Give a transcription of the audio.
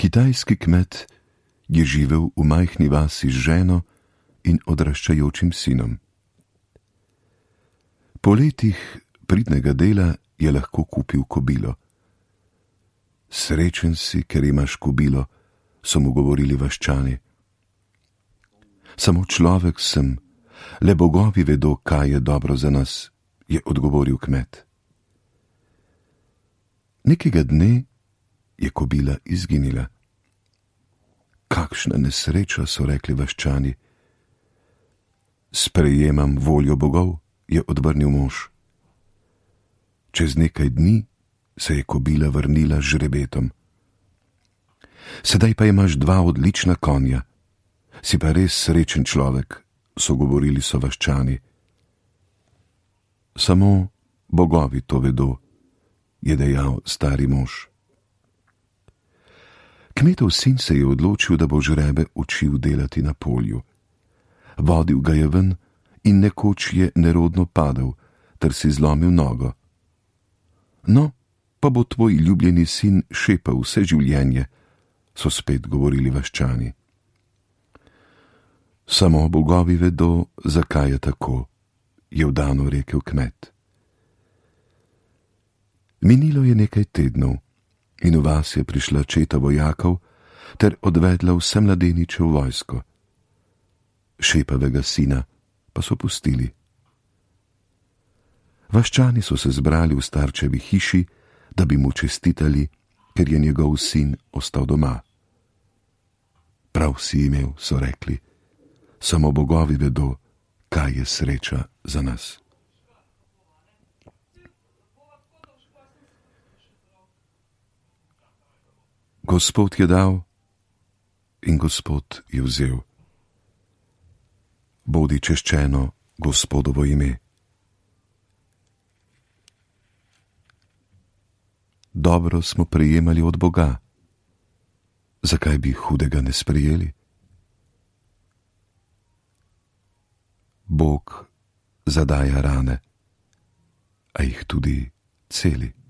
Kitajski kmet je živel v majhni vasi z ženo in odraščajočim sinom. Po letih pridnega dela je lahko kupil kobilo. Srečen si, ker imaš kobilo, so mu govorili vaščani. Samo človek sem, le bogovi vedo, kaj je dobro za nas, je odgovoril kmet. Nekega dne je kobila izginila. Kakšna nesreča, so rekli vaščani. Sprejemam voljo bogov, je odvrnil mož. Čez nekaj dni se je kobila vrnila z žrebetom. Sedaj pa imaš 2 odlična konja. Si pa res srečen človek, so govorili sovaščani. Samo bogovi to vedo, je dejal stari mož. Kmetov sin se je odločil, da bo žrebe učil delati na polju. Vodil ga je ven in nekoč je nerodno padel, ter si zlomil nogo. No, pa bo tvoj ljubljeni sin šepal vse življenje, so spet govorili vaščani. Samo bogovi vedo, zakaj je tako, je vdano rekel kmet. Minilo je nekaj tednov in v vas je prišla četa vojakov ter odvedla vse mladeniče v vojsko. Šepavega sina pa so pustili. Vaščani so se zbrali v starčevi hiši, da bi mu čestitali, ker je njegov sin ostal doma. Prav si imel, so rekli, samo bogovi vedo, kaj je sreča za nas. Gospod je dal in Gospod je vzel. Bodi češčeno Gospodovo ime. Dobro smo prejemali od Boga. Zakaj bi hudega ne sprejeli? Bog zadaja rane, a jih tudi celi.